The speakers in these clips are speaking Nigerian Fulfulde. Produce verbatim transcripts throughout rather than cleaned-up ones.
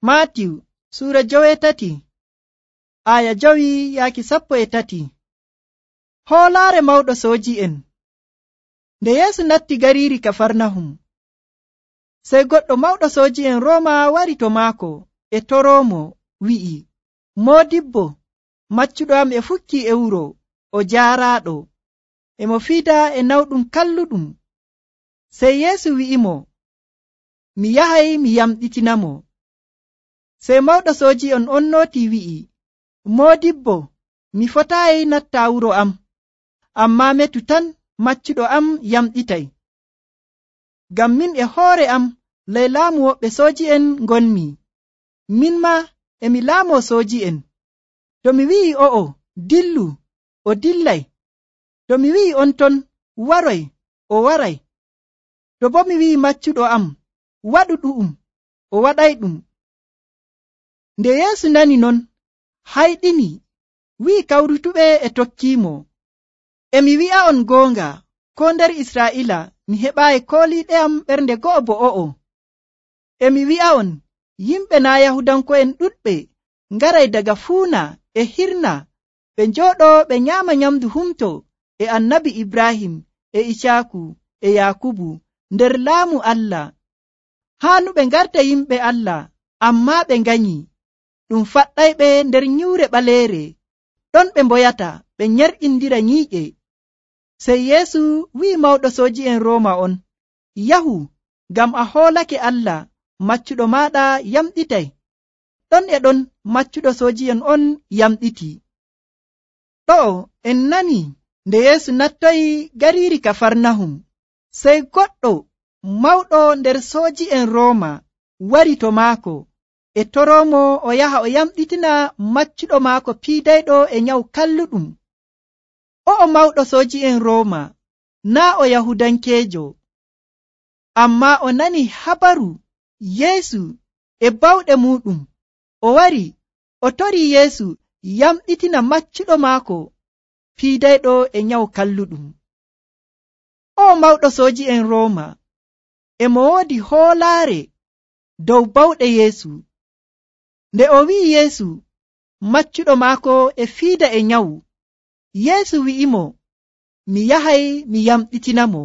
Maatiw suura jowetati aya jowi yaaki sappo e tati. Hoolaare mawɗo sooji'en. Nde Yeesu natti gariiri Kafarnahum, sey goɗɗo mawɗo sooji'en Rooma wari to maako e toroomo wi'i, Moodibbo, maccuɗo am e fukkii e wuro o jaaraaɗo, e mo fiida e nawɗum kalluɗum. Sey Yeesu wi'imo, mi yahay mi yamɗitinamo. Sey mawɗo sooji'en on nooti wi'i, Moodibbo, mi fotaayi natta wuro am, ammaa metu tan maccuɗo am yamɗitay. Ngam min e hoore am ley laamu woɓɓe sooji'en ngonmi, min maa emi laamoo sooji'en. To mi wi'i o'o, dillu, o dillay. To mi wi'i on ton, waroy, o waray. To boo mi wi'i maccuɗo am, waɗu ɗu'um, o waɗayɗum. Nde Yeesu nani non, hayɗini, wi'i kawrutuɓe e tokkiimo, emi wi'a'on goonga, koo nder Israa'iila mi heɓaayi kooliiɗe am ɓernde go'o bo o'o. Emi wi'a'on, yimɓe naa' Yahudanko'en ɗuɗɓe ngaray daga fuuna e hirna ɓe njooɗoo ɓe nyaama nyamndu humto e annabi Ibrahim e Icaaku e Yaakubu nder laamu Allah. Haanu ɓe ngarta yimɓe Allah, ammaa ɓe nganyi. Ɗum faɗɗayɓe nder nyuure ɓaleere, ɗon ɓe mboyata ɓe nyerƴindira nyiiƴe. Sey Yeesu wi'i mawɗo sooji'en Rooma on, yahu, ngam a hoolake Allah, maccuɗo maaɗa yamɗitay. Ɗon e ɗon maccuɗo sooji'en on yamɗiti. Ɗo'o en nani nde Yeesu nattoyi gariiri Kafarnahum, sey goɗɗo mawɗo nder sooji'en Rooma wari to maako e toroomo o yaha o yamɗitina maccuɗo maako piidayɗo e nyawu kalluɗum. O'o mawɗo sooji'en Rooma naa' o Yahudankeejo, ammaa o nani habaru Yeesu e bawɗe muuɗum. O wari o torii Yeesu yamɗitina maccuɗo maako piidayɗo e nyawu kalluɗum. O'o mawɗo sooji'en Rooma e mo woodi hoolaare dow bawɗe Yeesu. Nde o wi'i Yeesu maccuɗo maako e fiida e nyawu, Yeesu wi'imo, mi yahay mi yamɗitinamo.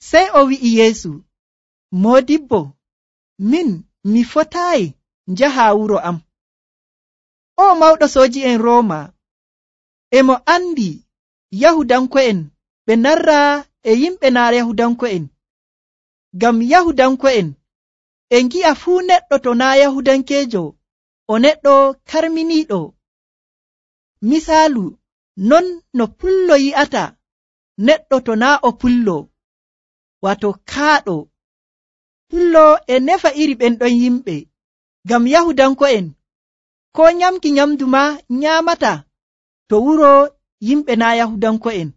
Sey o wi'i Yeesu, Moodibbo, min mi fotaayi njaha wuro am. O mawɗo sooji'en Rooma e mo andi Yahudanko'en ɓe narra e yimɓe naa' Yahudanko'en. Ngam Yahudanko'en e ngi'a fuu neɗɗo to naa' Yahudankeejo o neɗɗo karminiiɗo. Misaalu non no pullo yi'ata neɗɗo to naa' o pullo, wato kaaɗo. Pullo e nefa iri ɓen ɗon yimɓe. Ngam Yahudanko'en koo nyamki nyamdu maa nyaamata to wuro yimɓe naa' Yahudanko'en,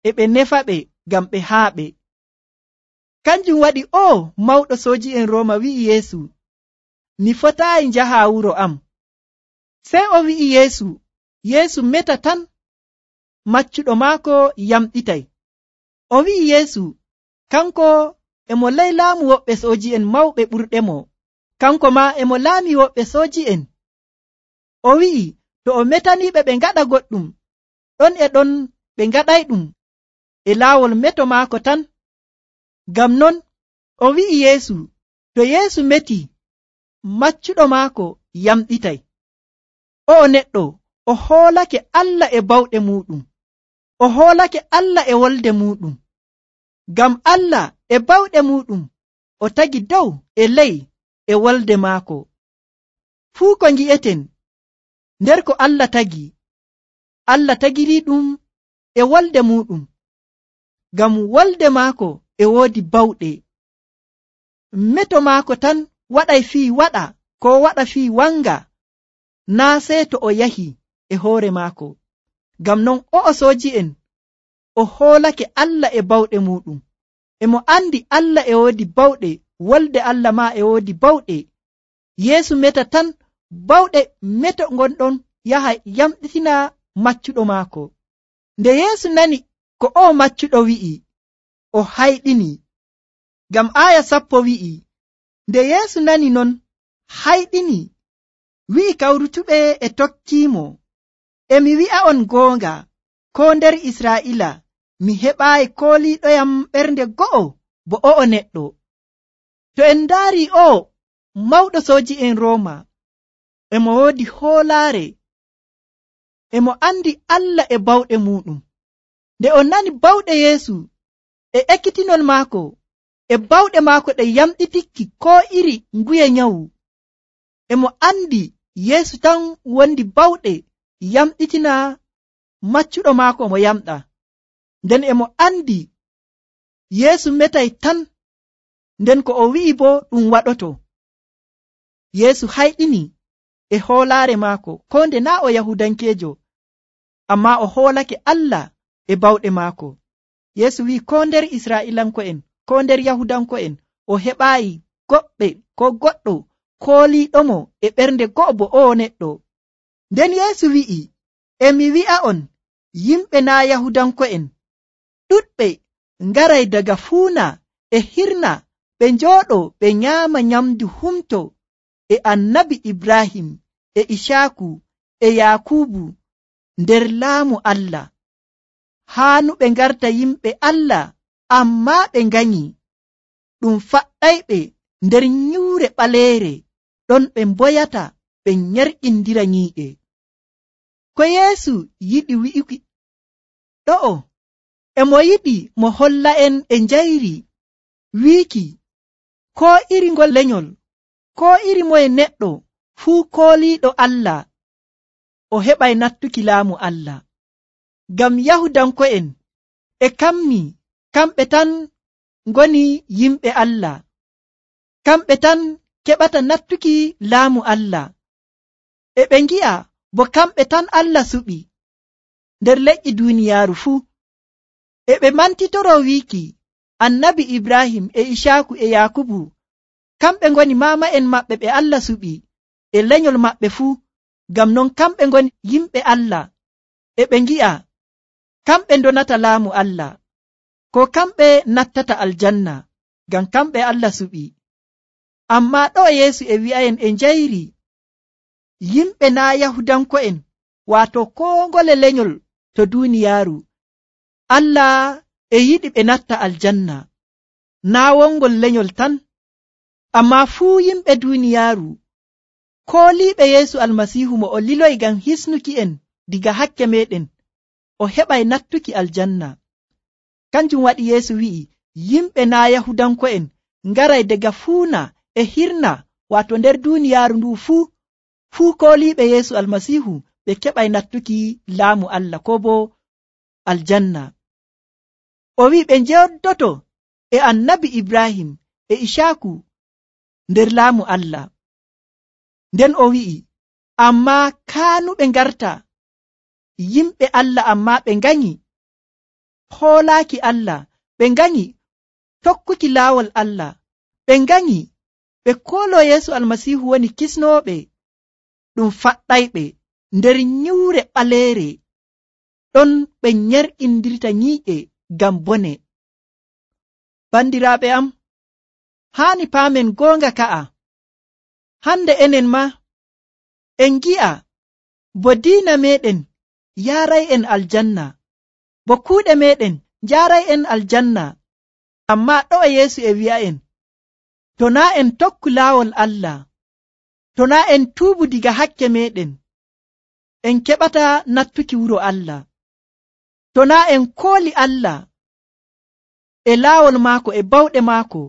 e ɓe nefa ɓe ngam ɓe haaɓe. Kanjum waɗi o mawɗo sooji'en Rooma wi'i Yeesu, mi fotaayi njaha wuro am. Sey o wi'i Yeesu, Yeesu meta tan maccuɗo maako yamɗitay. O wi'i Yeesu, kanko e mo ley laamu woɓɓe sooji'en mawɓe ɓurɗemo, kanko maa e mo laami woɓɓe sooji'en. O wi'i to o metaniiɓe ɓe ngaɗa goɗɗum, ɗon e ɗon ɓe ngaɗayɗum e laawol meto maako tan. Ngam non o wi'i Yeesu, to Yeesu meti, maccuɗo maako yamɗitay. O'o neɗɗo o hoolake Allah e bawɗe muuɗum, o hoolake Allah e wolde muuɗum. Ngam Allah e bawɗe muuɗum o tagi dow e ley e wolde maako. Fuu ko ngi'eten nder ko Allah tagi, Allah tagirii ɗum e wolde muuɗum. Ngam wolde maako e woodi bawɗe. Meto maako tan waɗay fii waɗa ko waɗa fii wanga, naa sey to o yahi e hoore maako. Ngam non o'o sooji'en o hoolake Allah e bawɗe muuɗum, e mo andi Allah e woodi bawɗe, wolde Allah maa e woodi bawɗe. Yeesu meta tan bawɗe meto gonɗon yaha yamɗitina maccuɗo maako. Nde Yeesu nani ko o maccuɗo wi'i, o hayɗini. Ngam aaya sappo wi'i, nde Yeesu nani non, hayɗini wi'i kawrutuɓe e tokkiimo, emi wi'a on goonga, ko nder Israa'ila mi heɓaayi kooliiɗoyam ɓernde go'o bo o'o neɗɗo. To en ndaari o mawɗo sooji'en Rooma, emo woodi hoolaare, emo andi Allah e bawɗe muɗum. Nde o nani bawɗe Yeesu e ekkitinol maako e bawɗe maako ɗe yamɗitikki koo iri nguye nyawu, emo andi Yeesu tan wondi bawɗe yamɗitina maccuɗo maako mo yamɗa. Nden emo andi Yeesu metay tan, nden ko o wi'i bo ɗum waɗoto. Yeesu hayɗini e hoolaare maako, ko nde naa o Yahudankeejo, amma o hoolake Allah e bawɗe maako. Yeesu wi'i ko nder Israa'ilanko'en, ko nder Yahudanko'en, o heɓaayi goɗɗe ko goɗɗo kooliiɗomo e ɓernde go'o bo o neɗɗo. Nden Yeesu wi'i, emi wi'a on, yimɓe naa Yahudanko'en ɗuɗɓe ngaray daga fuuna e hirna ɓe njooɗo ɓe nyaama nyamdu humto e annabi Ibrahim e Isaaku e Yakubu nder laamu Allah. Haanu ɓe ngarta yimɓe Allah, ammaa ɓe nganyi. Ɗum faɗɗayɓe nder nyuure ɓaleere, ɗon ɓe mboyata ɓe nyerƴindira nyii'e. Ko Yeesu yiɗi wi'uki ɗo'o, emo yiɗi mo holla'en e njayri wiiki koo iri ngol lenyol, koo iri moye neɗɗo fuu kooliiɗo Allah o heɓay nattuki laamu Allah. Ngam Yahudanko'en e kammi kamɓe tan ngoni yimɓe Allah, kamɓe tan keɓata nattuki laamu Allah, e ɓe ngi'a bo kamɓe tan Allah suɓi nder leƴƴi duuniyaaru fuu. E ɓe mantitoro wiiki annabi Ibrahim e Isaaku e Yakubu kamɓe ngoni maama'en maɓɓe ɓe Allah suɓi e lenyol maɓɓe fuu. Ngam non kamɓe ngoni yimɓe Allah, e ɓe ngi'a kamɓe ndonata laamu Allah, ko kamɓe nattata aljanna, ngam kamɓe Allah suɓi. Ammaa ɗo Yeesu e wi'ayen e njayri, yimɓe naa Yahudanko'en, waato koo ngole lenyol to duuniyaaru, Allah e yiɗi ɓe natta aljanna, naa wongol lenyol tan, ammaa fuu yimɓe duuniyaaru kooliiɓe Yeesu Almasiihu mo o liloyi ngam hisnuki en diga hakke meɗen, o heɓay nattuki aljanna. Kanjum waɗi Yeesu wi'i yimɓe naa Yahudanko'en ngaray daga fuuna e hirna, waato nder duuniyaaru ndu fuu, fuu kooliiɓe Yeesu Almasiihu ɓe keɓay nattuki laamu Allah ko bo aljanna. O wi'i ɓe njewdoto e annabi Ibrahim e Isaaku nder laamu Allah. Nden o wi'i, ammaa kaanuɓe ngarta yimɓe Allah, ammaa ɓe nganyi hoolaaki Allah, ɓe nganyi tokkuki laawol Allah, ɓe nganyi ɓe kooloo Yeesu Almasiihu woni kisnooɓe. Ɗum faɗɗayɓe nder nyuure ɓaleere, ɗon ɓe nyerƴindirta nyii'e ngam bone. Bandiraaɓe am, haani paamen goonga ka'a, hande enen ma en gi'a bo diina meɗen yaaray en aljanna, bo kuuɗe meɗen njaaray en aljanna. Ammaa ɗo e Yeesu e wi'a'en, to naa en tokku laawol Allah, to naa en tuubu diga hakke meɗen, en keɓata nattuki wuro Allah. To naa en kooli Allah e laawol maako e bawɗe maako,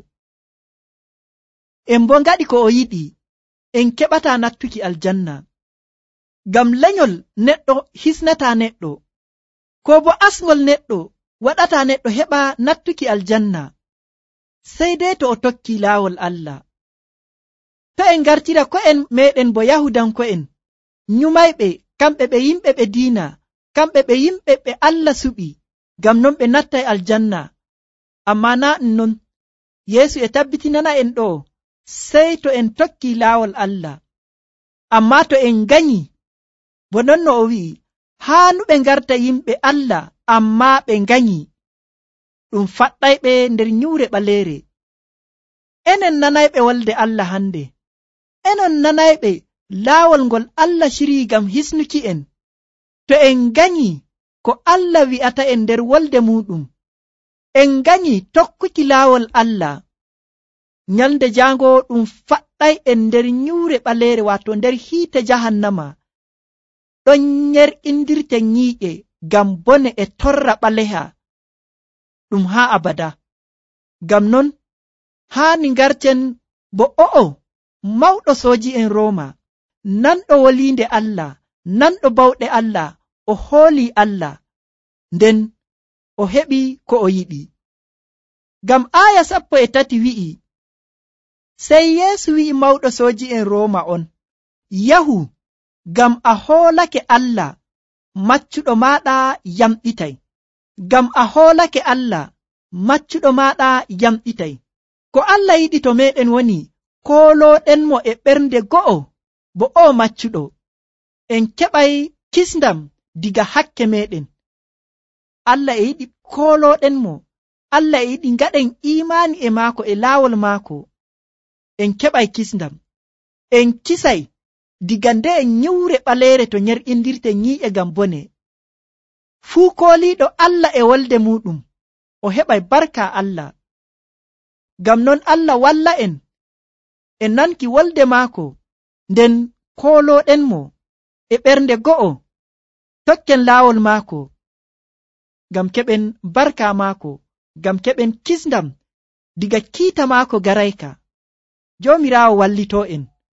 en bo ngaɗi ko o yiɗi, en keɓata nattuki aljanna. Ngam lenyol neɗɗo hisnata neɗɗo, ko bo asngol neɗɗo waɗata neɗɗo heɓa nattuki aljanna, sey dai to o tokki laawol Allah. To en ngartira ko'en meɗen bo Yahudanko'en nyumayɓe, kamɓe ɓe yimɓe ɓe diina, kamɓe ɓe yimɓe ɓe Allah suɓi, ngam non ɓe nattay aljanna. Ammaa naa ɗum non, Yeesu e tabbitinana en ɗo, sey to en tokki laawol Allah. Ammaa to en nganyi, bo non no o wi'i, haanuɓe ngarta yimɓe Allah, ammaa ɓe nganyi. Ɗum faɗɗayɓe nder nyuure ɓaleere. Enen nanayɓe wolde Allah hande, enon nanayɓe laawol ngol Allah cirii ngam hisnuki en, to en nganyi ko Allah wi'ata en nder wolde muɗum, en nganyi tokkuki laawol Allah, nyalnde jaango ɗum faɗɗay en nder nyuure ɓaleere, waato nder hiite jahannama, ɗon nyer'indirten nyiiƴe ngam bone e torra ɓaleha ɗum haa abada. Ngam non haani ngarten bo o'o mawɗo sooji'en Rooma, nanɗo woliinde Allah, nanɗo bawɗe Allah, o hoolii Allah, nden o heɓi ko o yiɗi. Ngam aaya sappo e tati wi'i, sey Yeesu wi'i mawɗo sooji'en Rooma on, yahu, ngam a hoolake Allah, maccuɗo maaɗa yamɗitay. Ngam a hoolake Allah, maccuɗo maaɗa yamɗitay. Ko Allah yiɗi to meeɗen woni koolooɗenmo e ɓernde go'o, bo o maccuɗo, en keɓay kisndam diga hakke meeɗen. Allah e yiɗi koolooɗenmo, Allah e yiɗi ngaɗen iimaani e maako e laawol maako, en keɓay kisndam, en kisay diga nde en nyuure ɓaleere to nyer'indirte nyii'e ngam bone. Fuu kooliiɗo Allah e wolde muɗum, o heɓay barka Allah. Ngam non Allah walla en e nanki wolde maako, nden koolooɗenmo e ɓernde go'o, tokken laawol maako, ngam keɓen barka maako, ngam keɓen kisndam diga kiita maako garayka. Joomiraawo wallitoo en.